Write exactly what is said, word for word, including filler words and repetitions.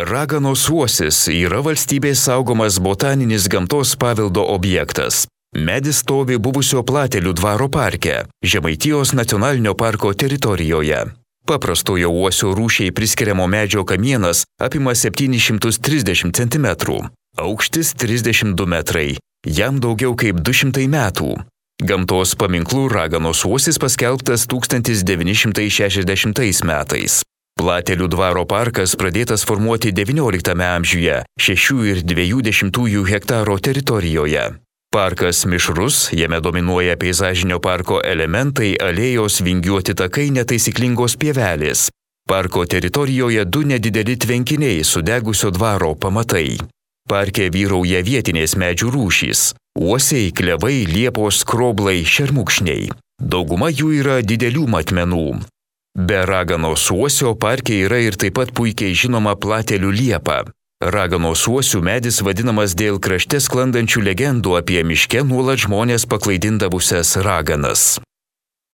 Raganos uosis yra valstybės saugomas botaninis gamtos paveldo objektas. Medis stovi buvusio Platelių dvaro parke, Žemaitijos nacionalinio parko teritorijoje. Paprastojo uosio rūšiai priskiriamo medžio kamienas apima septynis šimtus trisdešimt centimetrų, aukštis trisdešimt du metrai, jam daugiau kaip du šimtai metų. Gamtos paminklu Raganos uosis paskelbtas tūkstantis devyni šimtai šešiasdešimtais metais. Platelių dvaro parkas pradėtas formuoti devynioliktame amžiuje šešių ir dviejų dešimtųjų hektaro teritorijoje. Parkas mišrus, jame dominuoja peizažinio parko elementai, alėjos, vingiuoti takai, netaisyklingos pievelės. Parko teritorijoje du nedideli tvenkiniai sudegusio dvaro pamatai. Parke vyrauja vietinės medžių rūšys – uosiai, klevai, liepos, skroblai, šermukšniai. Dauguma jų yra didelių matmenų. Be Raganos uosio parke yra ir taip pat puikiai žinoma Platelių liepa. Raganos uosių medis vadinamas dėl krašte sklandančių legendų apie miške nuolat žmonės paklaidindavusias raganas.